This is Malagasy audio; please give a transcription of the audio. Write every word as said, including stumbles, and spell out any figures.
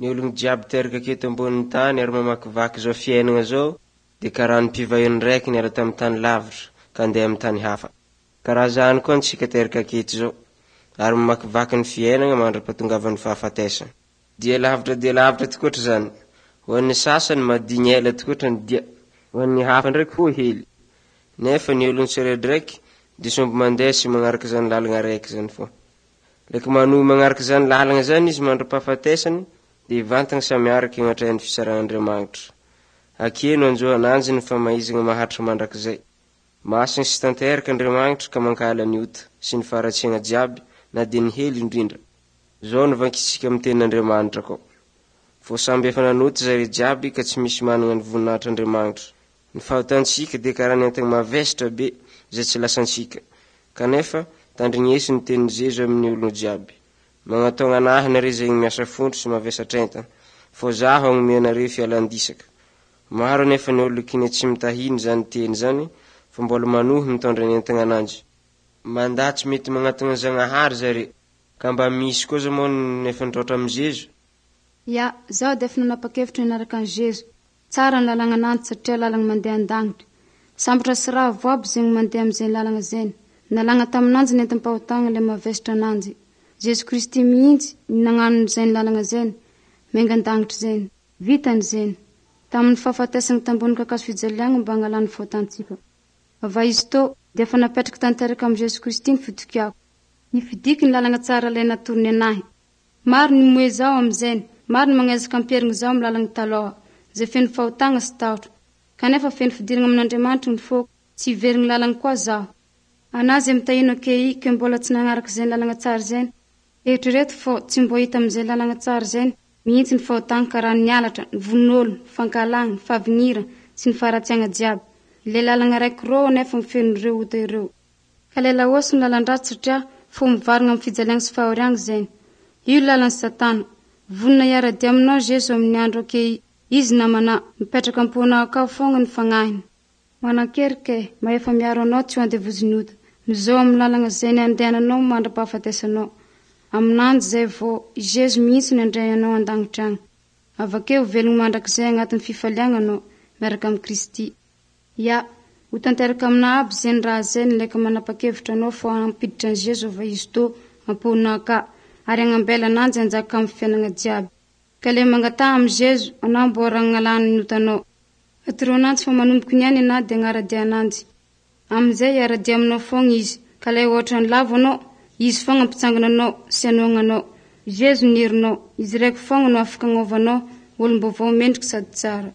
Ny ologny jiaby teraka aketo ambonin'ny tany ary mamakivaky zao fiainana zao dia karaha ny mpivahiny raiky niala tamin'ny tany lavitra ka handeha amin'ny tany hafa. Karaha zany koa antsika teraka aketo zao ary mamakivaky ny fiainana mandra-pahatongavan'ny fahafatesana. Dia lavitra dia lavitra tokoatra zany. Ho an'ny sasany madigny ela tokoatra ny dia, ho an'ny hafa ndraiky fohy hely. Nefa ny ologny tsiraidraiky dia somby mandeha sy magnaraka zany lalana raiky zany fô. Leky manohy magnaraka zany lalana zany izy mandra-pahafatesany dia ivantana samy miaraky agnatrehan'ny fitsaran'Andriamanitra. Ake no anjo ananjy ny famaizana maharitra mandrakizay. Masina sy tanteraka Andriamanitra ka mankahala ny ota sy ny faharatsiana jiaby na dia ny hely indrindra. Zao no vakitsika amin'ny tenin'Andriamanitra koa. Fô samby efa nanota zare jiaby ka tsy misy manana ny voninahitr'Andriamanitra. Ny fahotantsika dia karaha ny entana mavesatra be izay tsy lasantsika. Kanefa tandrignesy ny tenin'i Jeso amin'ny olona jiaby. Magnatogna anahy nareo izay miasa fontro sy mavesatra entana, fô zaho hagnome anareo fialan-disaka. Maro anefa ny olo kine tsy mitahiny zany teny zany fa mbola manohy mitondra ny entana ananjy. Mandà tsy mety magnatona Zagnahary zare, ka mba misy koa zao moa nefa nitroatra amin'i Jeso. Ya, zaho dia efa nanapa-kevitra hanaraka an'i Jeso. Tsara ny lalana ananjy satria lalana mandeha an-danitra. Sambatra sy ravo aby zegny mandeha amin'izay lalana zay. Nalagna taminanjy ny entim-pahotana ilay mavesatra ananjy. Jeso Kristy mihitsy ny nagnano izay lalana zay, miainga an-danitra zay. Vitany zay. Tamin'ny fahafatesana tambony kakazo fijaliana mba hanalany fahotantsika. Ava izy tô dia efa napetraka tanteraka amin'i Jeso Kristy ny fitokiako. Nifidiky ny lalana tsara ilay natorony anahy. Maro ny moe zaho amin'izay, maro ny magnezaka amperigny zaho amin'ny lalana taloha, izay feno fahotana sy tahotra. Kanefa feno fidirana amin'Andriamanitra ny foko, tsy hiverigny lalana koa zaho. Anazy izay mitahino ake ke mbola tsy nagnaraka izay lalana tsara izay. Eritrereto fô tsy mbo hita amin'izay lalana tsara izay mihitsy ny fahotana karaha ny halatra, ny von'olo, ny fankahalana, ny fahavinira sy ny faharatsiana jiaby. Ilay lalana raiky rô nefa mifeno ireo ota ireo. Ka ilay laosy ny lalan-dratsy satria fo mivarina amin'ny fijaliana sy fahoriana izay. Io lalan'ny satana. Vonona hiara-dia aminao Jeso amin'ny andro ake izy namana mipetraka am-ponao akao foagna ny fagnahiny. Manan-kery ke mahefa miaro anao tsy ho andevozin'ny ota. Mizao amin'ny lalana izay ny andehananao mandra-pahafatesanao. Aminanjy zay vao i Jeso mihitsy no handray anao an-danitra agny. Avakeo velogno mandrakizay agnatin'ny fifaliana anao miaraka amin'i Kristy. Ya, ho tanteraka aminao aby zay ny raha zay ny leka manapa-kevitra anao fô hampiditra an'i Jeso ava izy tô am-ponao aka ary hagnambela ananjy hanjaka amin'ny fiainana jiaby. Ka le mangataha amin'i Jeso anao mbô ragnalany ny otanao. Atoro ananjy fa manomboky niany anao dia agnara-dia ananjy. Amin'izay hiara-dia aminao foagna izy. Ka lay ohatra ny lavo anao, izy foagna hampitsangana anao sy hanohana anao. Jeso ny herinao, izy raiky foagna no afaka agnovanao olom-baovao mendriky sady tsara.